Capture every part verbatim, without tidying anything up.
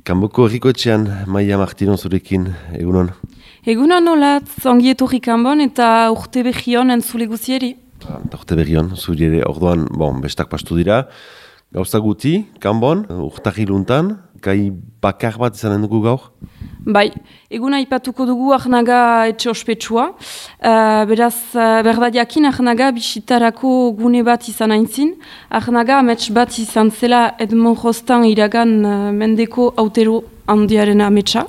Kanboko Herrikoetxean, Maia Martino zurekin, egunon? Egunon nolat, zongi etorri Kanbon eta urte behion entzule guzieri. Urte behion, zuri ere, orduan, bon, bestak pastu dira. Gauza guti, Kanbon, urtahiluntan, gai bakar bat izanen dugu gaur? Bai, eguna ipatuko dugu Arnaga etxe ospetsua. Uh, beraz, uh, berdadiakin Arnaga bisitarako gune bat izan aintzin. Arnaga amets bat izan zela Edmond Rostand iragan uh, mendeko autero handiaren ametsa.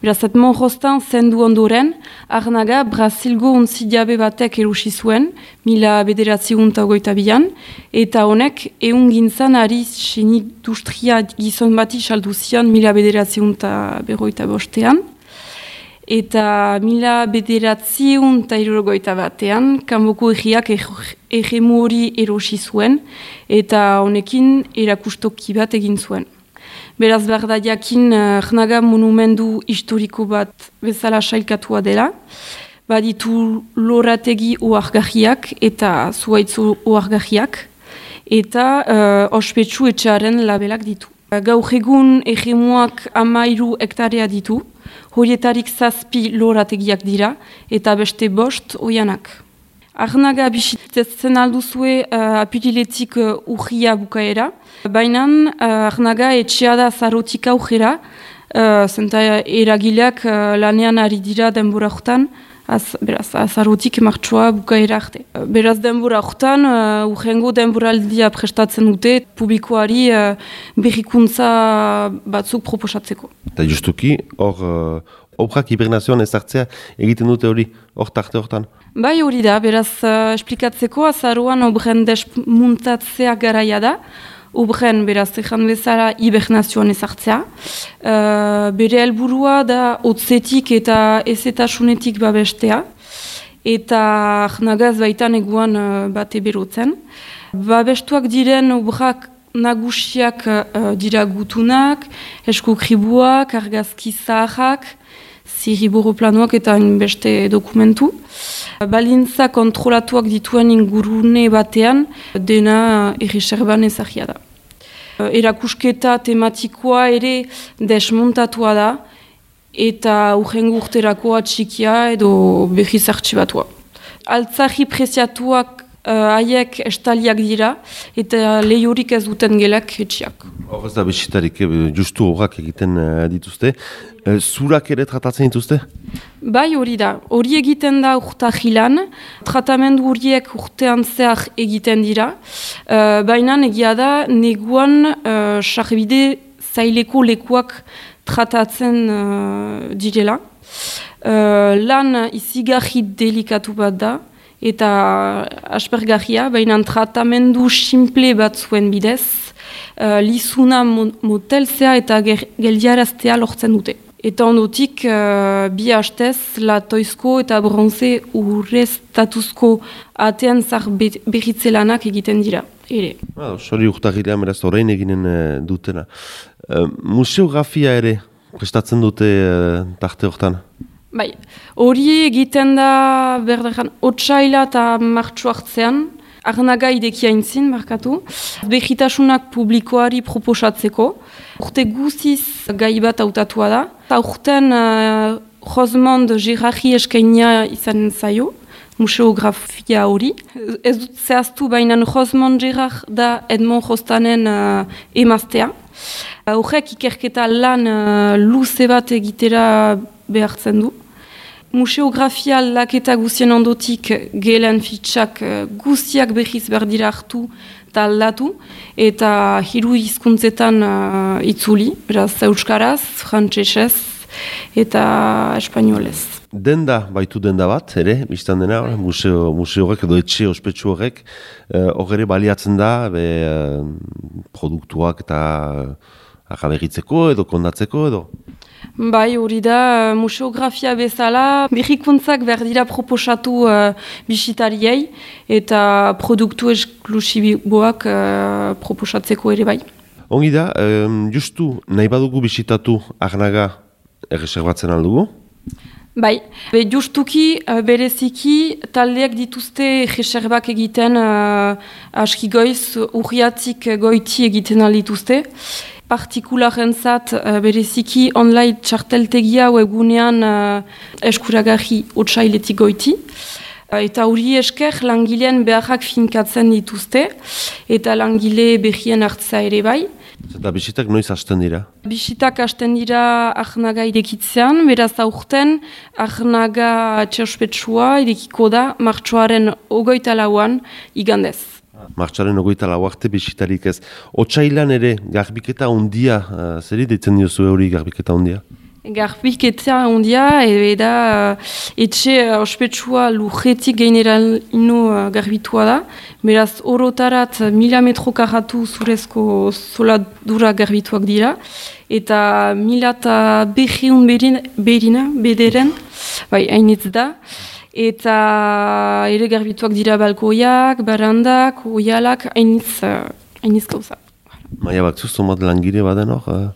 Beraz, Edmond Rostand zendu ondoren, Arnaga Brasilgo untzidiabe batek erusi zuen, mila bederatzi gunta goita bian, eta honek eun gintzan ari sinindustria gizon bati saldu zion mila bederatzi gunta berroita bostean. Eta mila bederatzi gunta irurogoita batean, Kanboko egiak egemu hori erosi zuen, eta honekin erakustoki bat egin zuen. Beraz berda jakin Arnaga monumendu historiko bat bezala sailkatua dela. Baditu lorategi oargarriak eta zuaitzu oargarriak. Eta uh, ospetsu etxearen labelak ditu. Gaur egun egemuak amairu hektarea ditu. Horietarik zazpi lorategiak dira eta beste bost oianak. Arnaga bisitetzen alduzue uh, apiriletik uh, urria bukaera. Baina uh, Arnaga etxea da zarotik aurrera, uh, zenta eragileak uh, lanean ari dira denbora hortan, az, beraz, azarotik martxoa bukaera arte. Uh, beraz denbora hortan, uh, urrengo denboraldia prestatzen dute, publikoari uh, berrikuntza batzuk proposatzeko. Eta justuki, hor, uh, obrak hibernazioan ezartzea egiten dute hori, hor tarte hortan? Bai hori da, beraz uh, esplikatzeko azaroan obren desmuntatzea garaia da, obren beraz ezan bezala hibernazioan ezartzea. Uh, bere helburua da hotzetik eta ezetasunetik babestea, eta Arnagaz baitan eguan uh, bate berotzen. Babestuak diren obrak nagusiak uh, dira gutunak, eskukribuak, argazki zaharrak, zirriborroplanoak eta beste dokumentu. Balintza kontrolatuak dituen ingurune batean, dena erreserban ezagia da. Erakusketa tematikoa ere desmontatua da, eta urrengo urterakoa txikia edo behiz artxibatua. Altzarri preziatuak haiek uh, estaliak dira, eta lehiorik ez duten gelak etxiak. Hor ez da bisitarik, justu horrak egiten uh, dituzte. Uh, zurak ere tratatzen dituzte? Bai hori da, hori egiten da urtahilan, tratamendu horiek urtean zehar egiten dira, uh, baina egia da neguan uh, sarbide zaileko lekuak tratatzen uh, direla. Uh, lan izigarri delikatu bat da, eta aspergarria, baina tratamendu simple bat zuen bidez, uh, lizuna motelzea eta geldiaraztea lortzen dute. Eta ondotik, uh, bi hastez, latoizko eta bronze urreztatuzko atean zar berritzelanak egiten dira. Ere. Ah, Sori urtahilean beraz orain eginen uh, dutena. Uh, museografia ere prestatzen dute uh, tarte hortan? Bai, hori egiten da berderan otsaila eta martxo hartzean, Arnaga ideki aintzin, markatu, behitasunak publikoari proposatzeko, urte guziz gai bat hautatua da, eta urten uh, Rosemond Gerardi eskainia izan zaio, museografia hori. Ez dut zehaztu baina Rosemond Gerard da Edmond Rostanden uh, emaztea. Horrek uh, ikerketa lan uh, luze bat egitera behartzen du. Museografia laketa guzien ondotik gelen fitxak guziak behiz berdira hartu eta aldatu, eta hiru hizkuntzetan uh, itzuli, beraz euskaraz, frantsesez eta espainolez. Denda, baitu denda bat, ere, biztan dena, museo, museo horrek edo etxe ospetsu horrek, hor ere baliatzen da, be, uh, produktuak eta uh, agaberritzeko edo kondatzeko edo? Bai, hori da, museografia bezala, berrikuntzak berdira proposatu uh, bisitariei eta produktu esklusiboak uh, proposatzeko ere bai. Ongi da, um, justu nahi badugu bisitatu Arnaga erreserbatzen aldugu? Bai, be, justuki, uh, bereziki, taldeak dituzte reserbak egiten uh, aski goiz, urriatik goiti egiten aldituzte. Partikularen zat, uh, bereziki online txarteltegia webunean uh, eskuragarri otsailetik goiti. Uh, eta hori esker langileen beharrak finkatzen dituzte, eta langile berrien hartza ere bai. Eta bisitak noiz hasten dira? Bisitak hasten dira Arnaga irekitzean, beraz aurten Arnaga etxeospetsua irekiko da martxoaren ogoita lauan igandez. Martxoaren ogoita lau arte bisitarik ez. Otsailan ere, garbiketa ondia, uh, zeri deitzen diozu hori garbiketa ondia? Garbiketa ondia, eta uh, etxe uh, ospetsua lujetik general ino uh, garbitua da. Beraz, orotarat mila metro karratu zurezko zoladura garbituak dira. Eta mila eta behiun berina, bederen, bai, hainitz da. Eta ere garbituak dira balkoiak, barandak, oialak, hainitz, uh, hainitz gauza. Maia bakzuz, zomat langire baden hor? Uh...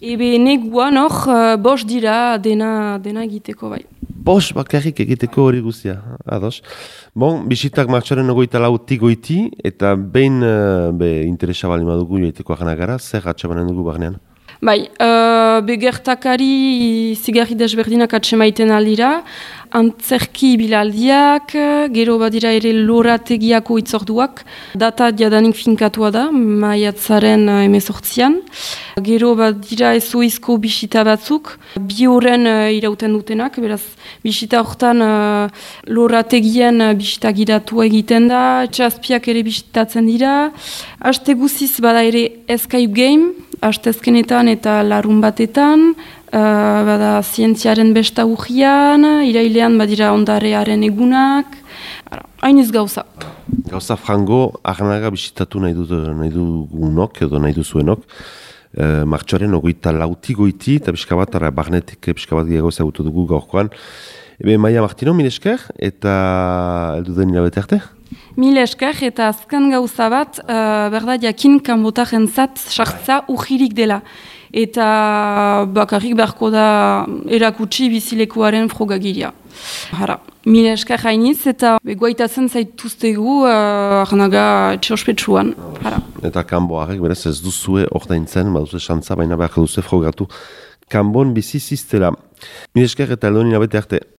Ebe neguan hor, uh, bos dira dena, dena egiteko bai. Bos bakarrik egiteko hori guztia, ados. Bon, bisitak martxoaren ogoita lautik goiti, eta behin uh, be, interesa bali madugu joiteko ahanagara, zer atxabanen dugu barnean? Bai, uh, begertakari zigarri desberdinak atxemaiten aldira, antzerki bilaldiak, gero badira ere lorategiako itzorduak, data jadanik finkatua da, maiatzaren emezortzian. Gero badira ezoizko bisita batzuk, bi horren uh, irauten dutenak, beraz bisita horretan uh, lorategien uh, bisita gidatua egiten da, txazpiak ere bisitatzen dira. Aste guziz bada ere Escape Game, astezkenetan eta larun batetan, uh, bada zientziaren besta urrian, irailean badira ondarearen egunak, hainiz gauza. Gauza frango, Arnaga bisitatu nahi, dut, nahi dugunok edo nahi duzuenok, uh, martxoaren ogoita lauti goiti, eta pixka bat, ara, barnetik pixka bat gehiago ezagutu dugu gaurkoan. Ebe, Maia Martino, mil esker, eta eldu den hilabete arte? Mil esker, eta azken gauza bat, uh, berda jakin kanbotaren zat sartza ujirik dela. Eta bakarrik beharko da erakutsi bizilekuaren frogagiria. Hara, mil esker hainiz, eta begoaitatzen zaituztegu uh, Arnaga etxeospetsuan. Hara. Eta kanboarek, berez ez duzue ordaintzen, baduze xantza, baina beharko duze frogatu kanbon bizi ziztela. Mil esker eta eldo hilabete arte.